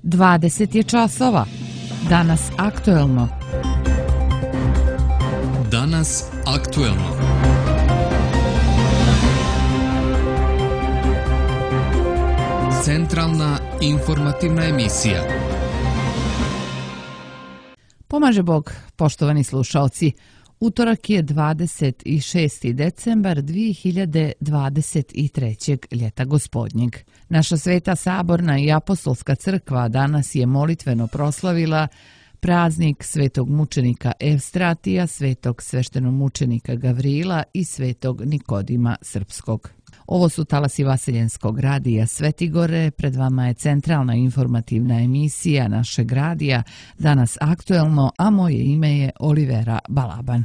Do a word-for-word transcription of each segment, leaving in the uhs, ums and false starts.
dvadeset je časova. Danas aktuelno. Danas aktuelno. Centralna informativna emisija. Pomaže Bog, poštovani slušaoci. Utorak je dvadeset šesti decembar dvije hiljade dvadeset trećeg. ljeta gospodnjeg. Naša Sveta Saborna i Apostolska crkva danas je molitveno proslavila praznik svetog mučenika Evstratija, svetog sveštenomučenika Gavrila i svetog Nikodima Srpskog. Ovo su talasi Vaseljenskog radija Svetigore, pred vama je centralna informativna emisija našeg radija, danas aktuelno, a moje ime je Olivera Balaban.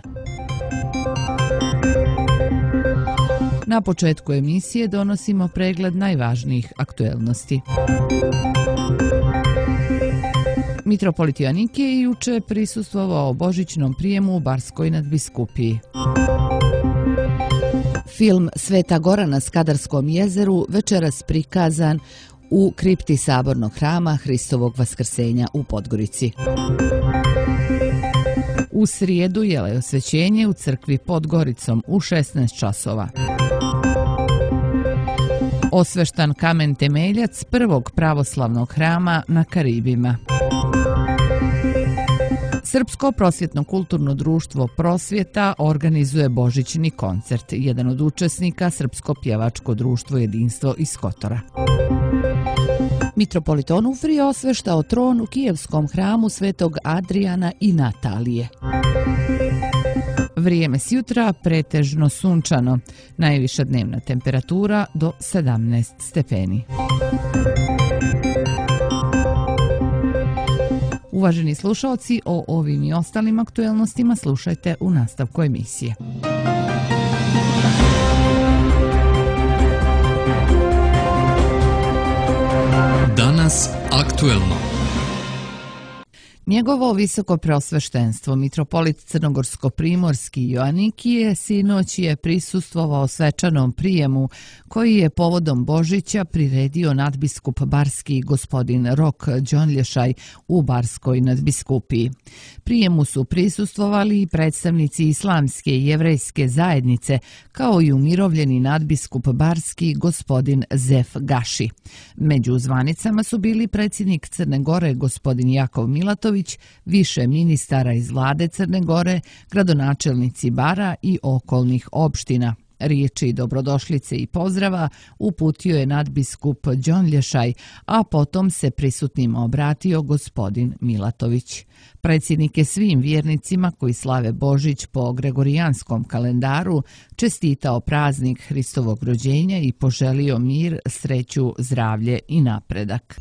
Na početku emisije donosimo pregled najvažnijih aktuelnosti. Mitropolit Joanikije juče prisustvovao božićnom prijemu u Barskoj nadbiskupiji. Film Sveta Gora na Skadarskom jezeru večeras prikazan u kripti Sabornog hrama Hristovog vaskrsenja u Podgorici. U srijedu je osvećenje u crkvi pod Goricom u šesnaest časova. Osveštan kamen temeljac prvog pravoslavnog hrama na Karibima. Srpsko prosvjetno-kulturno društvo Prosvjeta organizuje božićni koncert. Jedan od učesnika Srpsko pjevačko društvo Jedinstvo iz Kotora. Mitropolit Onufrije osveštao tron u kijevskom hramu Svetog Adrijana i Natalije. Vrijeme s jutra pretežno sunčano. Najviša dnevna temperatura do sedamnaest stepeni. Uvaženi slušalci, o ovim i ostalim aktuelnostima slušajte u nastavku emisije. Danas aktuelno. Njegovo visoko preosveštenstvo, mitropolit Crnogorsko-primorski Joanikije, sinoć je prisustvovao svečanom prijemu koji je povodom Božića priredio nadbiskup barski gospodin Rok Đonlješaj u Barskoj nadbiskupiji. Prijemu su prisustvovali i predstavnici islamske i jevrejske zajednice, kao i umirovljeni nadbiskup barski gospodin Zef Gaši. Među zvanicama su bili predsjednik Crne Gore gospodin Jakov Milatović, više ministara iz vlade Crne Gore, gradonačelnici Bara i okolnih opština. Riječi dobrodošlice i pozdrava uputio je nadbiskup Đonlješaj, a potom se prisutnima obratio gospodin Milatović. Predsjednik je svim vjernicima koji slave Božić po gregorijanskom kalendaru čestitao praznik Hristovog rođenja i poželio mir, sreću, zdravlje i napredak.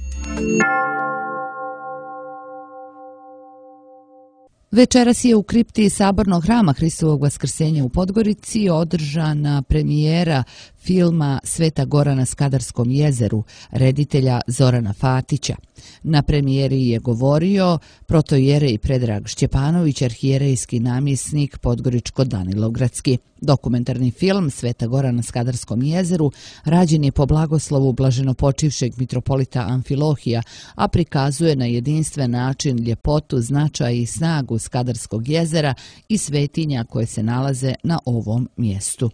Večeras je u kripti Sabornog hrama Hristovog vaskrsenja u Podgorici održana premijera filma Sveta Gora na Skadarskom jezeru reditelja Zorana Fatića. Na premijeri je govorio protoijerej Predrag Šćepanović, arhijerejski namjesnik Podgoričko-Danilogradski. Dokumentarni film Sveta Gora na Skadarskom jezeru rađen je po blagoslovu blaženopočivšeg mitropolita Amfilohija, a prikazuje na jedinstven način ljepotu, značaj i snagu Skadarskog jezera i svetinja koje se nalaze na ovom mjestu.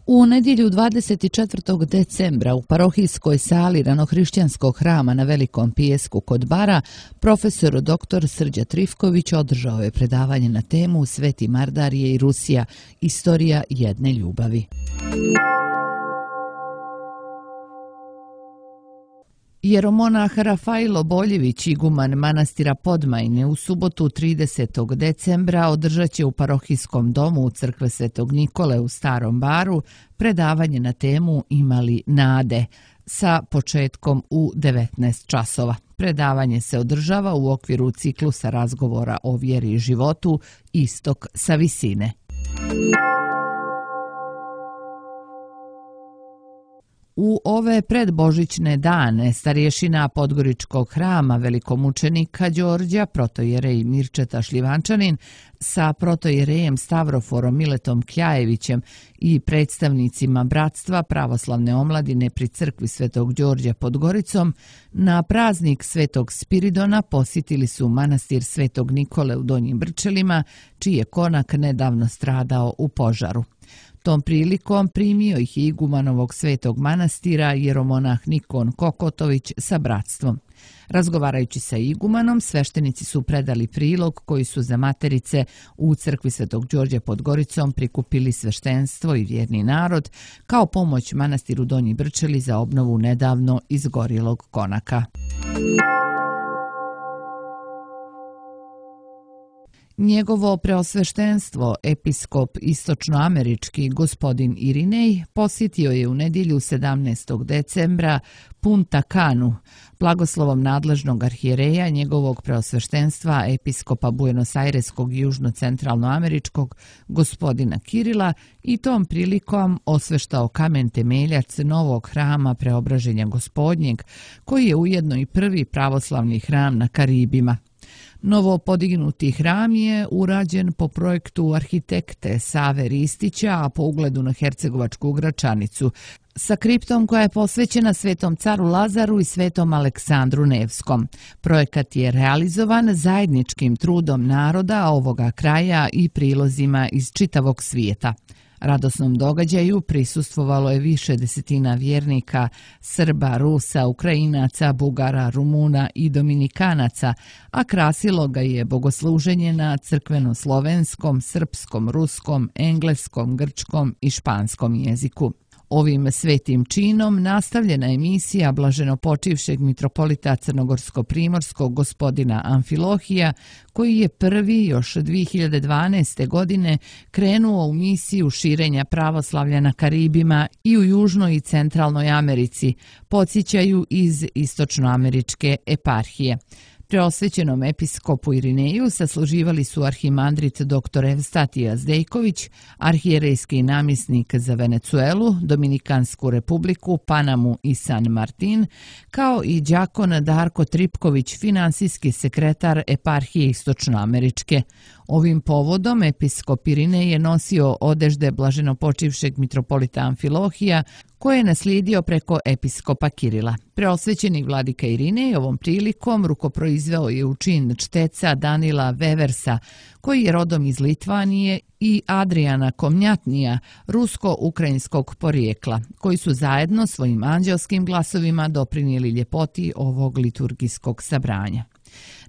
U nedjelju dvadeset četvrtog decembra u parohijskoj sali Ranohrišćanskog hrama na Velikom Pijesku kod Bara profesor doktor Srđa Trifković održao je predavanje na temu Sveti Mardarije i Rusija, istorija jedne ljubavi. Jeromonah Rafailo Boljević, iguman manastira Podmajne, u subotu tridesetog decembra održat će u parohijskom domu u crkve Svetog Nikole u Starom Baru predavanje na temu Imali nade sa početkom u devetnaest časova. Predavanje se održava u okviru ciklusa razgovora o vjeri i životu Istok sa visine. U ove predbožićne dane starješina Podgoričkog hrama velikomučenika Đorđa, protojerej Mirčeta Šljivančanin, sa protojerejem Stavroforom Miletom Kljajevićem i predstavnicima Bratstva pravoslavne omladine pri crkvi Svetog Đorđa pod Goricom, na praznik Svetog Spiridona posjetili su manastir Svetog Nikole u Donjim Brčelima, čiji je konak nedavno stradao u požaru. Tom prilikom primio ih i igumanovog svetog manastira jeromonah Nikon Kokotović sa bratstvom. Razgovarajući sa igumanom, sveštenici su predali prilog koji su za materice u crkvi Svetog Đorđa pod Goricom prikupili sveštenstvo i vjerni narod kao pomoć manastiru Donji Brčeli za obnovu nedavno izgorjelog konaka. Njegovo preosveštenstvo, episkop istočnoamerički gospodin Irinej, posjetio je u nedjelju sedamnaestog decembra Punta Canu, blagoslovom nadležnog arhijereja njegovog preosveštenstva episkopa Buenos Aireskog i južno-centralnoameričkog gospodina Kirila i tom prilikom osveštao kamen temeljac novog hrama Preobraženja Gospodnjeg, koji je ujedno i prvi pravoslavni hram na Karibima. Novo podignuti hram je urađen po projektu arhitekte Save Ristića, a po ugledu na Hercegovačku Gračanicu, sa kriptom koja je posvećena Svetom caru Lazaru i Svetom Aleksandru Nevskom. Projekat je realizovan zajedničkim trudom naroda ovoga kraja i prilozima iz čitavog svijeta. Radosnom događaju prisustvovalo je više desetina vjernika, Srba, Rusa, Ukrajinaca, Bugara, Rumuna i Dominikanaca, a krasilo ga je bogosluženje na crkveno-slovenskom, srpskom, ruskom, engleskom, grčkom i španskom jeziku. Ovim svetim činom nastavljena je misija blaženopočivšeg mitropolita crnogorsko-primorskog gospodina Amfilohija, koji je prvi još dvije hiljade dvanaeste. godine krenuo u misiju širenja pravoslavlja na Karibima i u Južnoj i Centralnoj Americi, podsjećaju iz istočnoameričke eparhije. Preosvećenom episkopu Irineju sasluživali su arhimandrit dr Evstatija Zdejković, arhijerejski namjesnik za Venecuelu, Dominikansku republiku, Panamu i San Martin, kao i đakon Darko Tripković, finansijski sekretar eparhije istočnoameričke. Ovim povodom episkop Irinej je nosio odežde blaženopočivšeg mitropolita Amfilohija, koje je naslijedio preko episkopa Kirila. Preosvećeni vladika Irinej ovom prilikom rukoproizveo je u čin čteca Danila Veversa, koji je rodom iz Litvanije, i Adriana Komnjatnija, rusko-ukrajinskog porijekla, koji su zajedno svojim anđelskim glasovima doprinijeli ljepoti ovog liturgijskog sabranja.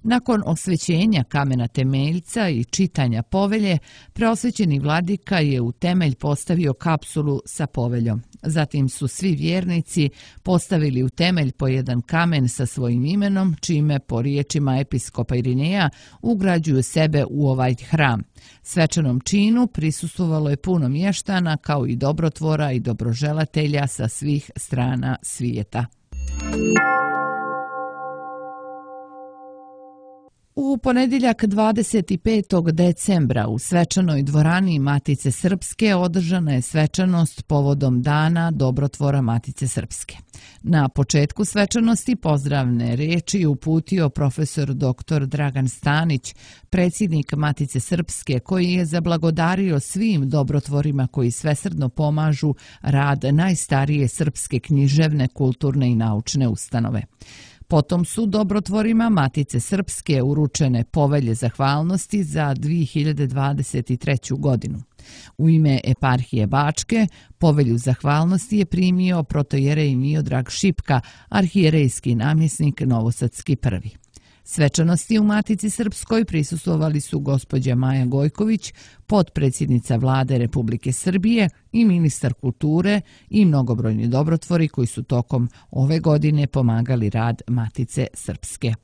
Nakon osvećenja kamena temeljca i čitanja povelje, preosvećeni vladika je u temelj postavio kapsulu sa poveljom. Zatim su svi vjernici postavili u temelj po jedan kamen sa svojim imenom, čime po riječima episkopa Irineja ugrađuju sebe u ovaj hram. Svečanom činu prisustvovalo je puno mještana, kao i dobrotvora i dobroželatelja sa svih strana svijeta. U ponedjeljak dvadeset petog decembra u svečanoj dvorani Matice Srpske održana je svečanost povodom Dana dobrotvora Matice Srpske. Na početku svečanosti pozdravne riječi uputio profesor doktor Dragan Stanić, predsjednik Matice Srpske, koji je zablagodario svim dobrotvorima koji svesrdno pomažu rad najstarije srpske književne, kulturne i naučne ustanove. Potom su dobrotvorima Matice Srpske uručene povelje zahvalnosti za dvije hiljade dvadeset treću. godinu. U ime eparhije Bačke povelju zahvalnosti je primio protojerej Miodrag Šipka, arhijerejski namjesnik novosadski prvi. Svečanosti u Matici Srpskoj prisustvovali su gospođa Maja Gojković, potpredsjednica Vlade Republike Srbije i ministar kulture i mnogobrojni dobrotvori koji su tokom ove godine pomagali rad Matice Srpske.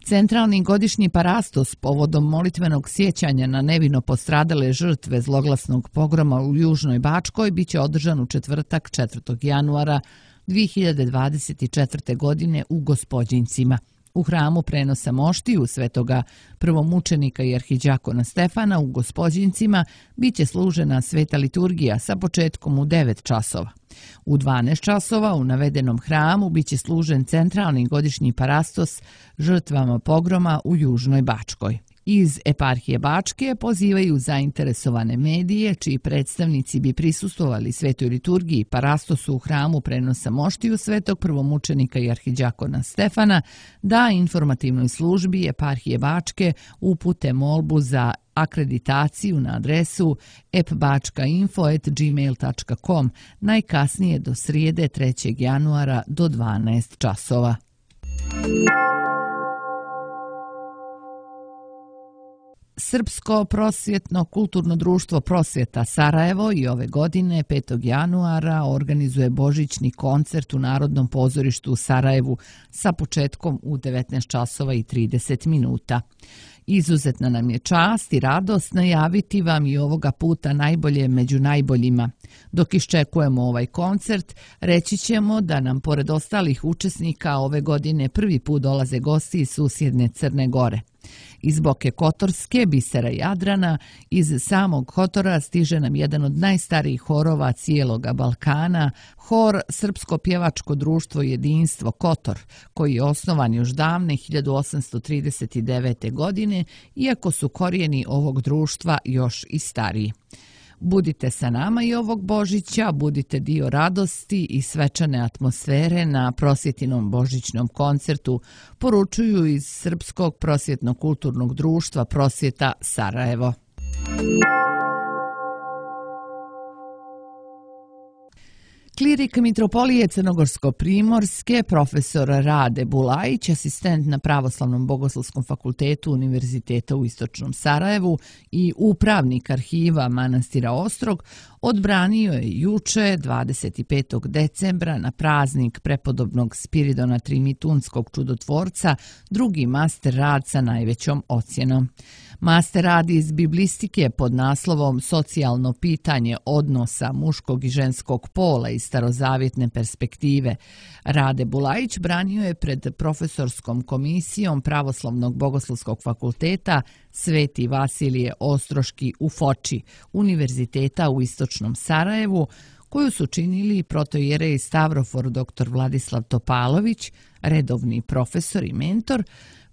Centralni godišnji parastos povodom molitvenog sjećanja na nevino postradale žrtve zloglasnog pogroma u Južnoj Bačkoj biće održan u četvrtak četvrtog januara dvije hiljade dvadeset četvrte. godine u Gospođincima. U hramu prenosa moštiju svetoga prvomučenika i arhidžakona Stefana u Gospođincima biće služena sveta liturgija sa početkom u devet časova. U dvanaest časova u navedenom hramu biće služen centralni godišnji parastos žrtvama pogroma u Južnoj Bačkoj. Iz eparhije Bačke pozivaju zainteresovane medije, čiji predstavnici bi prisustvovali svetoj liturgiji parastosu u hramu prenosa moštiju svetog prvomučenika i arhidžakona Stefana, da informativnoj službi eparhije Bačke upute molbu za akreditaciju na adresu e p bačka info at gmail dot com najkasnije do srijede trećeg januara do dvanaest časova. Srpsko prosvjetno kulturno društvo Prosvjeta Sarajevo i ove godine petog januara organizuje božićni koncert u Narodnom pozorištu u Sarajevu sa početkom u devetnaest časova i trideset minuta. Izuzetna nam je čast i radost najaviti vam i ovoga puta najbolje među najboljima. Dok iščekujemo ovaj koncert, reći ćemo da nam pored ostalih učesnika ove godine prvi put dolaze gosti iz susjedne Crne Gore. Iz Boke Kotorske, bisera Jadrana, iz samog Kotora stiže nam jedan od najstarijih horova cijeloga Balkana, hor Srpsko pjevačko društvo Jedinstvo Kotor, koji je osnovan još davne hiljadu osamsto trideset devete. godine, iako su korijeni ovog društva još i stariji. Budite sa nama i ovog Božića, budite dio radosti i svečane atmosfere na prosvjetinom božićnom koncertu, poručuju iz Srpskog prosvjetno-kulturnog društva Prosvjeta Sarajevo. Klirik Mitropolije Crnogorsko-primorske, profesor Rade Bulajić, asistent na Pravoslavnom bogoslovskom fakultetu Univerziteta u Istočnom Sarajevu i upravnik arhiva manastira Ostrog, odbranio je juče, dvadeset petog decembra, na praznik prepodobnog Spiridona Trimitunskog čudotvorca, drugi master rad sa najvećom ocjenom. Master rad iz biblistike pod naslovom Socijalno pitanje odnosa muškog i ženskog pola iz starozavjetne perspektive. Rade Bulajić branio je pred profesorskom komisijom Pravoslavnog bogoslovskog fakulteta Sveti Vasilije Ostroški u Foči, Univerziteta u Istočnom Sarajevu, koju su činili protoijerej Stavrofor dr Vladislav Topalović, redovni profesor i mentor,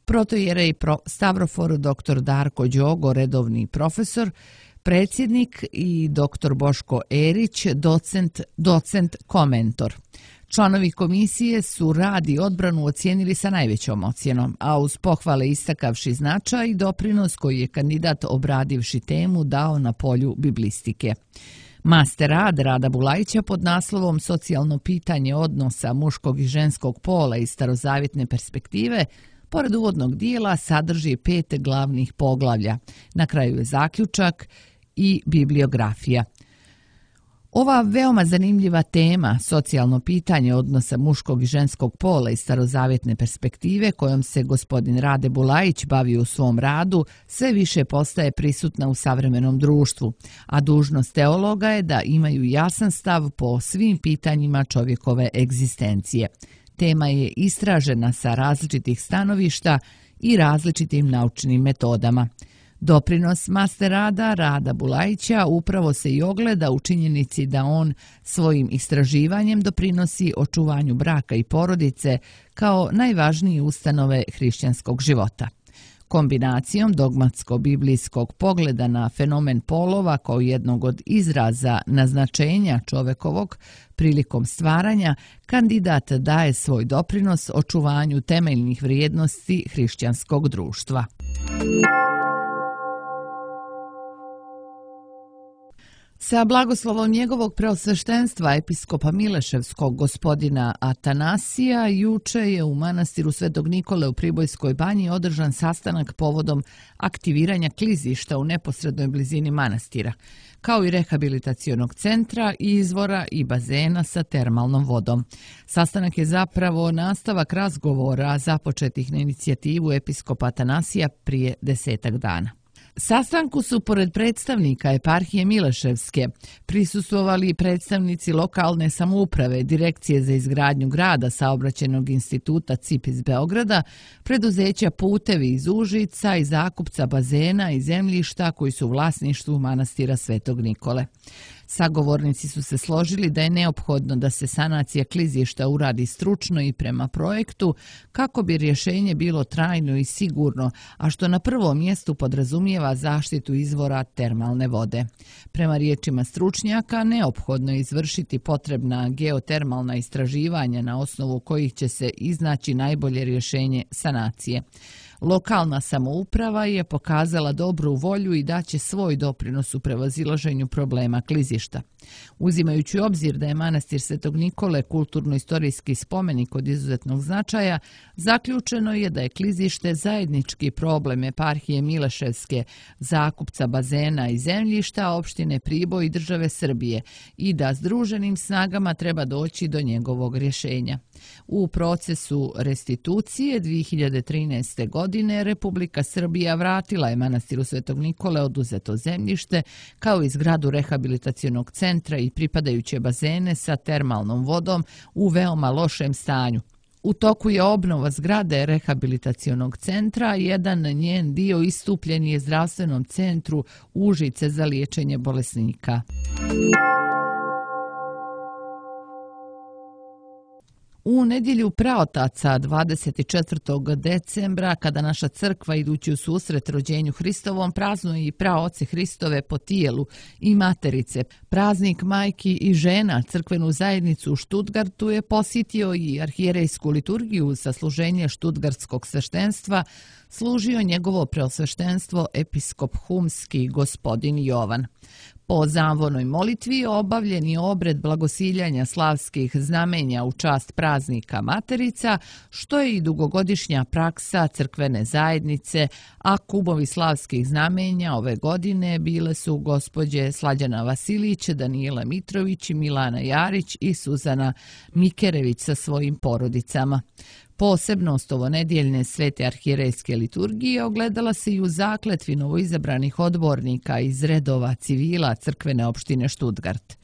protoijerej Stavrofor dr Darko Đogo, redovni profesor, predsjednik i dr Boško Erić, docent, docent komentor. Članovi komisije su rad i odbranu ocijenili sa najvećom ocjenom, a uz pohvale istakavši značaj i doprinos koji je kandidat obradivši temu dao na polju biblistike. Master rad Rada Bulajića pod naslovom Socijalno pitanje odnosa muškog i ženskog pola iz starozavjetne perspektive pored uvodnog dijela sadrži pet glavnih poglavlja. Na kraju je zaključak i bibliografija. Ova veoma zanimljiva tema, socijalno pitanje odnosa muškog i ženskog pola iz starozavjetne perspektive, kojom se gospodin Rade Bulajić bavi u svom radu, sve više postaje prisutna u savremenom društvu, a dužnost teologa je da imaju jasan stav po svim pitanjima čovjekove egzistencije. Tema je istražena sa različitih stanovišta i različitim naučnim metodama. Doprinos master rada Rada Bulajića upravo se i ogleda u činjenici da on svojim istraživanjem doprinosi očuvanju braka i porodice kao najvažnije ustanove hrišćanskog života. Kombinacijom dogmatsko-biblijskog pogleda na fenomen polova kao jednog od izraza naznačenja čovekovog prilikom stvaranja, kandidat daje svoj doprinos očuvanju temeljnih vrijednosti hrišćanskog društva. Sa blagoslovom njegovog preosveštenstva episkopa Mileševskog gospodina Atanasija, juče je u manastiru Svetog Nikole u Pribojskoj banji održan sastanak povodom aktiviranja klizišta u neposrednoj blizini manastira, kao i rehabilitacionog centra, izvora i bazena sa termalnom vodom. Sastanak je zapravo nastavak razgovora započetih na inicijativu episkopa Atanasija prije desetak dana. Sastanku su pored predstavnika eparhije Mileševske prisustvovali predstavnici lokalne samouprave, Direkcije za izgradnju grada, Saobraćajnog instituta C I P iz Beograda, preduzeća Putevi iz Užica i zakupca bazena i zemljišta koji su u vlasništvu manastira Svetog Nikole. Sagovornici su se složili da je neophodno da se sanacija klizišta uradi stručno i prema projektu kako bi rješenje bilo trajno i sigurno, a što na prvom mjestu podrazumijeva zaštitu izvora termalne vode. Prema riječima stručnjaka, neophodno je izvršiti potrebna geotermalna istraživanja na osnovu kojih će se iznaći najbolje rješenje sanacije. Lokalna samouprava je pokazala dobru volju i daće svoj doprinos u prevazilaženju problema klizišta. Uzimajući u obzir da je manastir Svetog Nikole kulturno-istorijski spomenik od izuzetnog značaja, zaključeno je da je klizište zajednički problem eparhije Mileševske, zakupca bazena i zemljišta, opštine Priboj i države Srbije i da združenim snagama treba doći do njegovog rješenja. U procesu restitucije dvije hiljade trinaeste. godine Republika Srbija vratila je manastiru Svetog Nikole oduzeto zemljište kao i zgradu rehabilitacionog centra i pripadajuće bazene sa termalnom vodom u veoma lošem stanju. U toku je obnova zgrade rehabilitacionog centra, jedan njen dio istupljen je zdravstvenom centru Užice za liječenje bolesnika. U nedjelju praotaca dvadeset četvrtog decembra, kada naša crkva idući u susret rođenju Hristovom praznuje i praoce Hristove po tijelu i materice, praznik majki i žena, crkvenu zajednicu u Štutgartu je posjetio i arhijerejsku liturgiju za služenje štutgartskog sveštenstva, služio njegovo preosveštenstvo episkop humski gospodin Jovan. Po zamvonoj molitvi obavljen je obred blagosiljanja slavskih znamenja u čast praznika Materica, što je i dugogodišnja praksa crkvene zajednice, a kubovi slavskih znamenja ove godine bile su gospođe Slađana Vasilić, Danijela Mitrović, Milana Jarić i Suzana Mikerević sa svojim porodicama. Posebnost ovonedjeljne svete arhijerejske liturgije ogledala se i u zakletvi novoizabranih odbornika iz redova civila crkvene opštine Štutgart.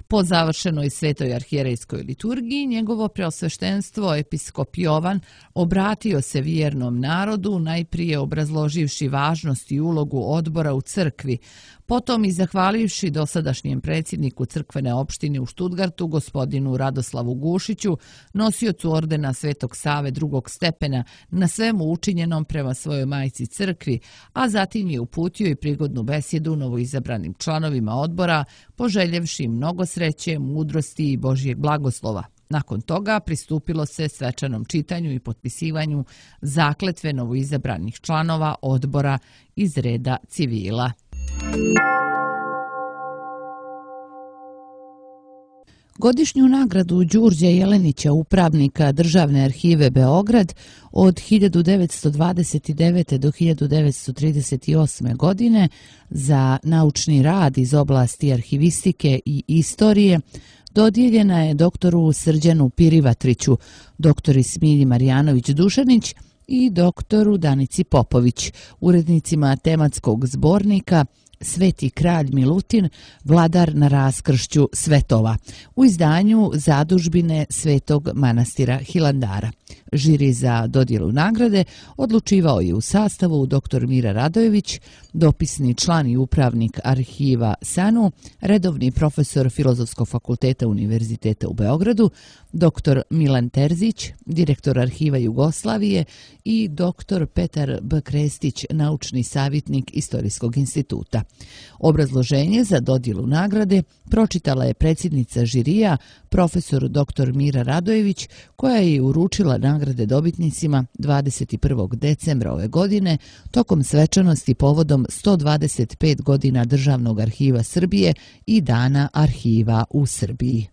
Po završenoj svetoj arhijerejskoj liturgiji, njegovo preosveštenstvo episkop Jovan obratio se vjernom narodu, najprije obrazloživši važnost i ulogu odbora u crkvi, potom i zahvalivši dosadašnjem predsjedniku crkvene opštine u Štutgartu, gospodinu Radoslavu Gušiću, nosiocu ordena Svetog Save drugog stepena, na svemu učinjenom prema svojoj majci crkvi, a zatim je uputio i prigodnu besjedu novoizabranim članovima odbora, poželjevši mnogo sreće, mudrosti i Božjeg blagoslova. Nakon toga pristupilo se svečanom čitanju i potpisivanju zakletve novoizabranih članova odbora iz reda civila. Godišnju nagradu Đurđa Jelenića, upravnika Državne arhive Beograd, od hiljadu devetsto dvadeset devete. do hiljadu devetsto trideset osme. godine za naučni rad iz oblasti arhivistike i istorije dodijeljena je doktoru Srđanu Pirivatriću, doktori Smilji Marjanović-Dušanić i doktoru Danici Popović, urednicima tematskog zbornika Sveti kralj Milutin, vladar na raskršću svetova, u izdanju Zadužbine Svetog manastira Hilandara. Žiri za dodjelu nagrade odlučivao je u sastavu dr Mira Radojević, dopisni član i upravnik arhiva SANU, redovni profesor Filozofskog fakulteta Univerziteta u Beogradu, dr Milan Terzić, direktor arhiva Jugoslavije i dr Petar B. Krestić, naučni savjetnik Istorijskog instituta. Obrazloženje za dodjelu nagrade pročitala je predsjednica žirija, profesor dr Mira Radojević, koja je uručila nagrade dobitnicima dvadeset prvog decembra ove godine tokom svečanosti povodom sto dvadeset pet godina Državnog arhiva Srbije i Dana arhiva u Srbiji.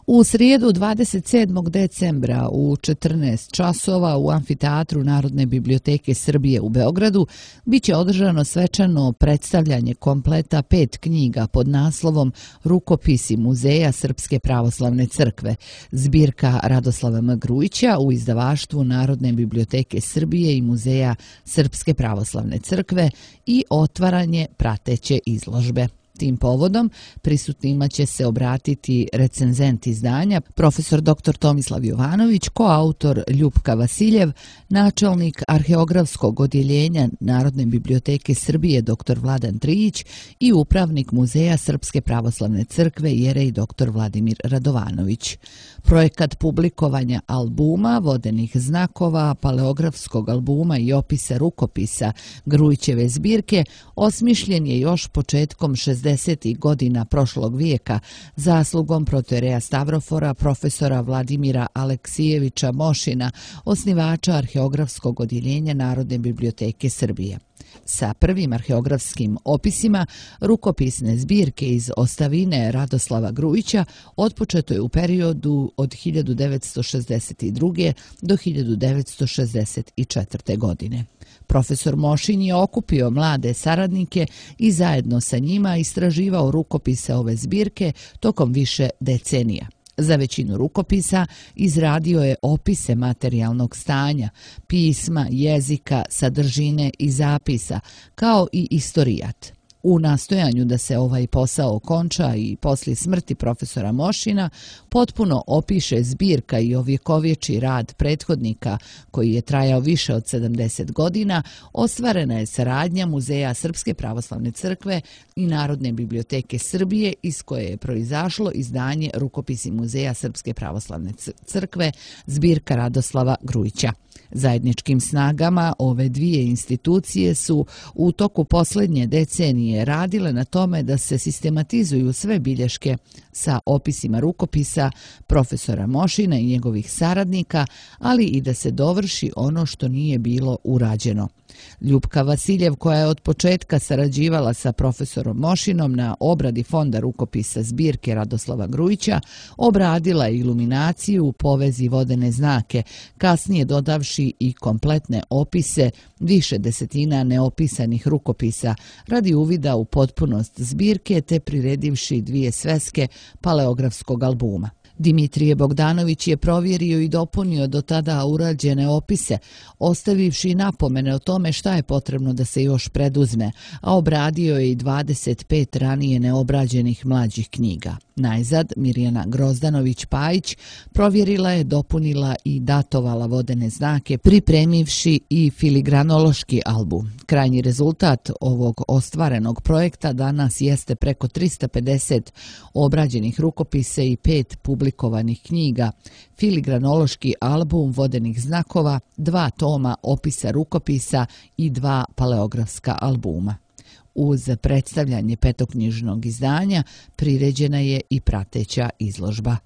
U srijedu dvadeset sedmog decembra u četrnaest časova u Amfiteatru Narodne biblioteke Srbije u Beogradu biće održano svečano predstavljanje kompleta pet knjiga pod naslovom Rukopisi Muzeja Srpske pravoslavne crkve, zbirka Radoslava M. Grujića u izdavaštvu Narodne biblioteke Srbije i Muzeja Srpske pravoslavne crkve i otvaranje prateće izložbe. Tim povodom prisutnima će se obratiti recenzent izdanja, profesor doktor Tomislav Jovanović, koautor Ljupka Vasiljev, načelnik arheografskog odjeljenja Narodne biblioteke Srbije doktor Vladan Trijić i upravnik Muzeja Srpske pravoslavne crkve jerej doktor Vladimir Radovanović. Projekat publikovanja albuma, vodenih znakova, paleografskog albuma i opisa rukopisa Grujićeve zbirke osmišljen je još početkom šezdesetih godina prošlog vijeka zaslugom protoijereja Stavrofora profesora Vladimira Aleksijevića Mošina, osnivača arheografskog odjeljenja Narodne biblioteke Srbije. Sa prvim arheografskim opisima rukopisne zbirke iz ostavine Radoslava Grujića otpočeto je u periodu od hiljadu devetsto šezdeset druge. do hiljadu devetsto šezdeset četvrte. godine. Profesor Mošin je okupio mlade saradnike i zajedno sa njima istraživao rukopise ove zbirke tokom više decenija. Za većinu rukopisa izradio je opise materijalnog stanja, pisma, jezika, sadržine i zapisa, kao i istorijat. U nastojanju da se ovaj posao okonča i poslije smrti profesora Mošina potpuno opiše zbirka i ovjekovječi rad prethodnika koji je trajao više od sedamdeset godina, ostvarena je saradnja Muzeja Srpske pravoslavne crkve i Narodne biblioteke Srbije iz koje je proizašlo izdanje Rukopisi Muzeja Srpske pravoslavne crkve, zbirka Radoslava Grujića. Zajedničkim snagama ove dvije institucije su u toku posljednje decenije radile na tome da se sistematizuju sve bilješke sa opisima rukopisa profesora Mošina i njegovih saradnika, ali i da se dovrši ono što nije bilo urađeno. Ljupka Vasiljev, koja je od početka sarađivala sa profesorom Mošinom na obradi fonda rukopisa zbirke Radoslava Grujića, obradila je iluminaciju, povezi vodene znake, kasnije dodavši i kompletne opise više desetina neopisanih rukopisa radi uvida u potpunost zbirke te priredivši dvije sveske paleografskog albuma. Dimitrije Bogdanović je provjerio i dopunio do tada urađene opise, ostavivši napomene o tome šta je potrebno da se još preduzme, a obradio je i dvadeset pet ranije neobrađenih mlađih knjiga. Najzad, Mirjana Grozdanović-Pajić provjerila je, dopunila i datovala vodene znake, pripremivši i filigranološki album. Krajnji rezultat ovog ostvarenog projekta danas jeste preko trista pedeset obrađenih rukopisa i pet publikovanih knjiga, filigranološki album vodenih znakova, dva toma opisa rukopisa i dva paleografska albuma. Uz predstavljanje petoknjižnog izdanja priređena je i prateća izložba.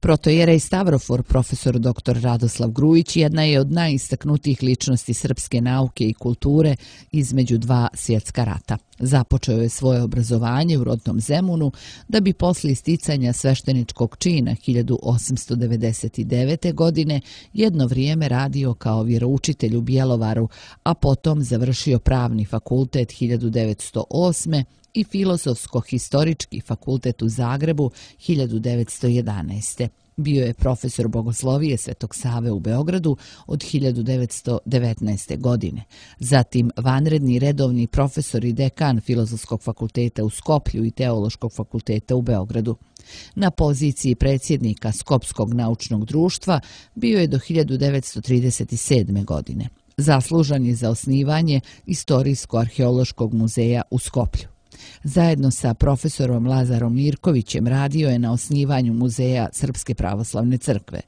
Protoijerej Stavrofor, profesor doktor Radoslav Grujić, jedna je od najistaknutijih ličnosti srpske nauke i kulture između dva svjetska rata. Započeo je svoje obrazovanje u rodnom Zemunu, da bi poslije sticanja svešteničkog čina hiljadu osamsto devedeset devete. godine jedno vrijeme radio kao vjeroučitelj u Bjelovaru, a potom završio pravni fakultet hiljadu devetsto osme. i Filozofsko-historički fakultet u Zagrebu hiljadu devetsto jedanaeste. Bio je profesor bogoslovije Svetog Save u Beogradu od hiljadu devetsto devetnaeste. godine. Zatim vanredni redovni profesor i dekan Filozofskog fakulteta u Skoplju i Teološkog fakulteta u Beogradu. Na poziciji predsjednika Skopskog naučnog društva bio je do hiljadu devetsto trideset sedme. godine. Zaslužan je za osnivanje Istorijsko-arheološkog muzeja u Skoplju. Zajedno sa profesorom Lazarom Mirkovićem radio je na osnivanju Muzeja Srpske pravoslavne crkve.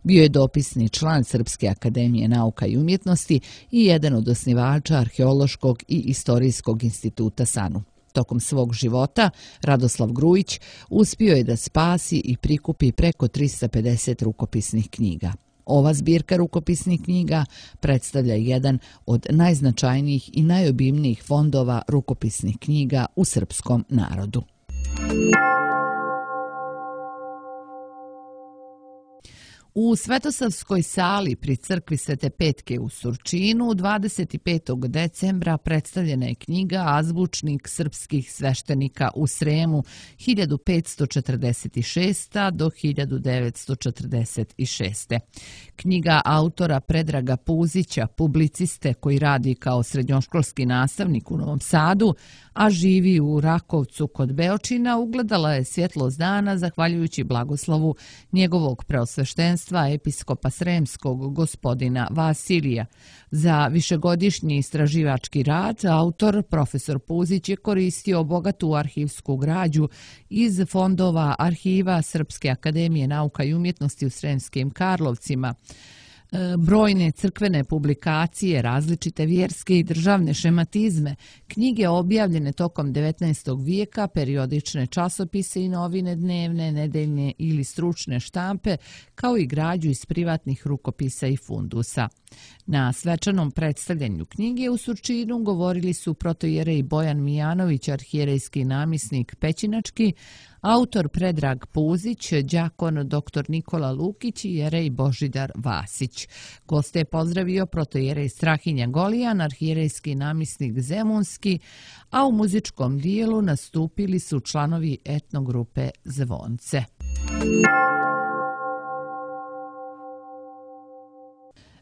Bio je dopisni član Srpske akademije nauka i umjetnosti i jedan od osnivača Arheološkog i Istorijskog instituta SANU. Tokom svog života Radoslav Grujić uspio je da spasi i prikupi preko trista pedeset rukopisnih knjiga. Ova zbirka rukopisnih knjiga predstavlja jedan od najznačajnijih i najobimnijih fondova rukopisnih knjiga u srpskom narodu. U Svetosavskoj sali pri crkvi Svete Petke u Surčinu dvadeset petog decembra predstavljena je knjiga Azbučnik srpskih sveštenika u Sremu hiljadu petsto četrdeset šeste. do hiljadu devetsto četrdeset šeste. Knjiga autora Predraga Puzića, publiciste koji radi kao srednjoškolski nastavnik u Novom Sadu, a živi u Rakovcu kod Beočina, ugledala je svjetlost dana zahvaljujući blagoslovu njegovog preosveštenstva episkopa Sremskog gospodina Vasilija. Za višegodišnji istraživački rad autor profesor Puzić je koristio bogatu arhivsku građu iz fondova arhiva Srpske akademije nauka i umjetnosti u Sremskim Karlovcima, brojne crkvene publikacije, različite vjerske i državne šematizme, knjige objavljene tokom devetnaestog vijeka, periodične časopise i novine dnevne, nedeljne ili stručne štampe, kao i građu iz privatnih rukopisa i fundusa. Na svečanom predstavljanju knjige u Surčinu govorili su protojerej Bojan Mijanović, arhijerejski namisnik Pećinački, autor Predrag Puzić, đakon doktor Nikola Lukić i jerej Božidar Vasić. Goste je pozdravio protojerej Strahinja Golijan, arhijerejski namisnik Zemunski, a u muzičkom dijelu nastupili su članovi etnogrupe Zvonce.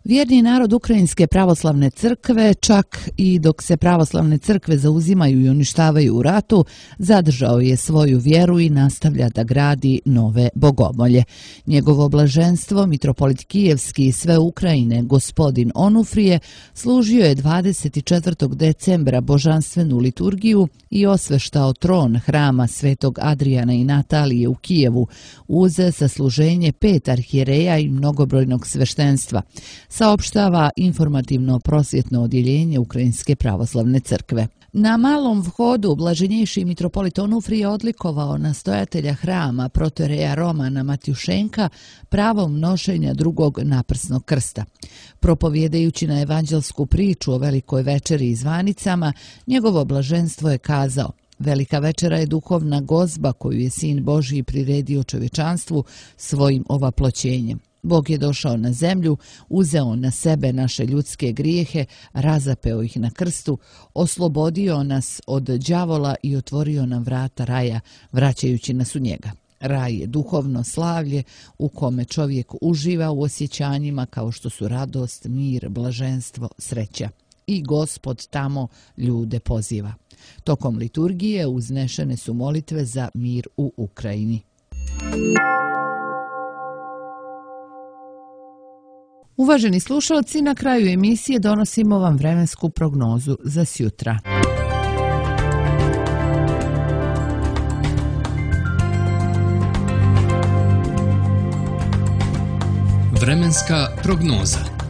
Vjerni narod Ukrajinske pravoslavne crkve, čak i dok se pravoslavne crkve zauzimaju i uništavaju u ratu, zadržao je svoju vjeru i nastavlja da gradi nove bogomolje. Njegovo blaženstvo, mitropolit Kijevski i sve Ukrajine, gospodin Onufrije, služio je dvadeset četvrtog decembra božanstvenu liturgiju i osveštao tron hrama Svetog Adrijana i Natalije u Kijevu, uz sasluženje pet arhijereja i mnogobrojnog sveštenstva, saopštava informativno-prosvjetno odjeljenje Ukrajinske pravoslavne crkve. Na malom vhodu blaženjejši mitropolit Onufrije odlikovao nastojatelja hrama protojereja Romana Matjušenka pravom nošenja drugog naprsnog krsta. Propovjedajući na evanđelsku priču o velikoj večeri i zvanicama, njegovo blaženstvo je kazao: Velika večera je duhovna gozba koju je Sin Božji priredio čovječanstvu svojim ovaploćenjem. Bog je došao na zemlju, uzeo na sebe naše ljudske grijehe, razapeo ih na krstu, oslobodio nas od đavola i otvorio nam vrata raja, vraćajući nas u njega. Raj je duhovno slavlje u kome čovjek uživa u osjećanjima kao što su radost, mir, blaženstvo, sreća. I Gospod tamo ljude poziva. Tokom liturgije uznešene su molitve za mir u Ukrajini. Uvaženi slušalci, na kraju emisije donosimo vam vremensku prognozu za sjutra. Vremenska prognoza.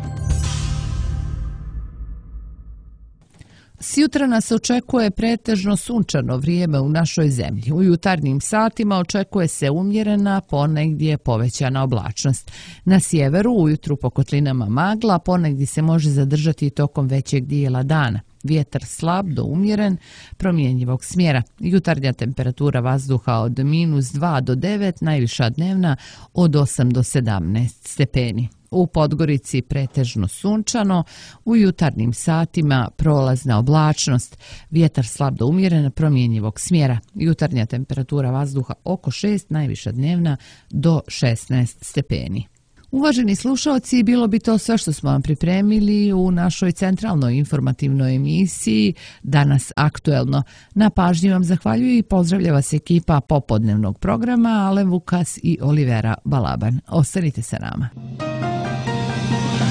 Sjutra nas očekuje pretežno sunčano vrijeme u našoj zemlji. U jutarnjim satima očekuje se umjerena, ponegdje povećana oblačnost. Na sjeveru ujutru po kotlinama magla, ponegdje se može zadržati tokom većeg dijela dana. Vjetar slab do umjeren, promjenjivog smjera. Jutarnja temperatura vazduha od minus dva do devet, najviša dnevna od osam do sedamnaest stepeni. U Podgorici pretežno sunčano, u jutarnjim satima prolazna oblačnost, vjetar slab do umjeren, promjenjivog smjera. Jutarnja temperatura vazduha oko šest, najviša dnevna do šesnaest stepeni. Uvaženi slušalci, bilo bi to sve što smo vam pripremili u našoj centralnoj informativnoj emisiji Danas aktuelno. Na pažnji vam zahvaljuju i pozdravlja vas ekipa popodnevnog programa Alen Vukas i Olivera Balaban. Ostanite sa nama.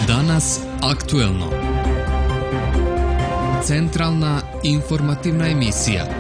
Danas aktuelno. Centralna informativna emisija.